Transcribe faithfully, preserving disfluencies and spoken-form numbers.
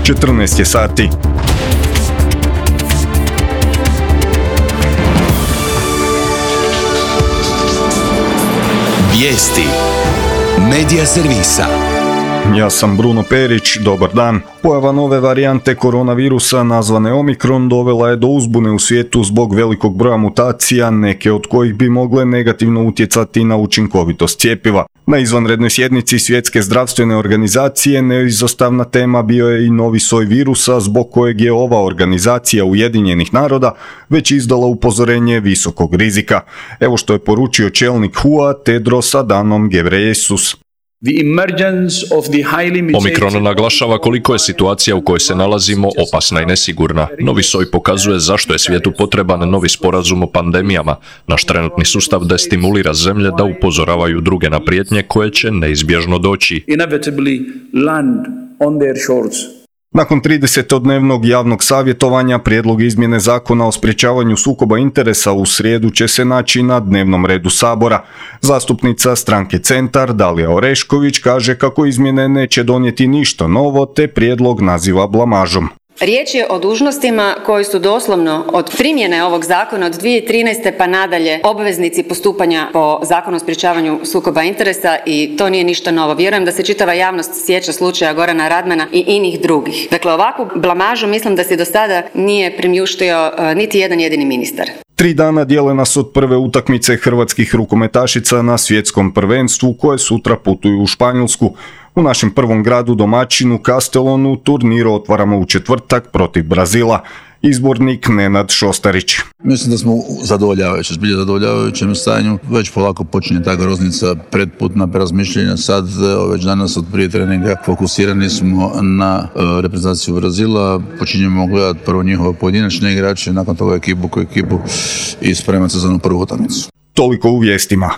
četrnaest je sati. Vijesti Medija servisa. Ja sam Bruno Perić, dobar dan. Pojava nove varijante koronavirusa nazvane Omikron dovela je do uzbune u svijetu zbog velikog broja mutacija, neke od kojih bi mogle negativno utjecati na učinkovitost cjepiva. Na izvanrednoj sjednici Svjetske zdravstvene organizacije neizostavna tema bio je i novi soj virusa zbog kojeg je ova organizacija Ujedinjenih naroda već izdala upozorenje visokog rizika. Evo što je poručio čelnik H U A Tedros Adhanom Ghebreyesus. Omikron naglašava koliko je situacija u kojoj se nalazimo opasna i nesigurna. Novi soj pokazuje zašto je svijetu potreban novi sporazum o pandemijama. Naš trenutni sustav destimulira zemlje da upozoravaju druge na prijetnje koje će neizbježno doći. Nakon tridesetodnevnog javnog savjetovanja, prijedlog izmjene zakona o sprječavanju sukoba interesa u srijedu će se naći na dnevnom redu Sabora. Zastupnica stranke Centar, Dalija Orešković, kaže kako izmjene neće donijeti ništa novo, te prijedlog naziva blamažom. Riječ je o dužnostima koji su doslovno od primjene ovog zakona od dvije tisuće trinaeste pa nadalje obveznici postupanja po Zakonu o sprječavanju sukoba interesa i to nije ništa novo. Vjerujem da se čitava javnost sjeća slučaja Gorana Radmana i inih drugih. Dakle, ovakvu blamažu mislim da se do sada nije primjuštio uh, niti jedan jedini ministar. Tri dana dijele nas od prve utakmice hrvatskih rukometašica na svjetskom prvenstvu koje sutra putuju u Španjolsku. U našem prvom gradu domaćinu Castellonu turnir otvaramo u četvrtak protiv Brazila. Izbornik Nenad Šostarić. Mislim da smo zadovoljavajući, zbilje zadovoljavajućem stanju. Već polako počinje ta groznica pretputna prerazmišljenja. Sad, već danas od prije treninga fokusirani smo na uh, reprezentaciju Brazila. Počinjemo gledati prvo njihove pojedinačne igrače, nakon toga ekipu ko ekipu i spremati se za onu prvu utakmicu. Toliko u vijestima.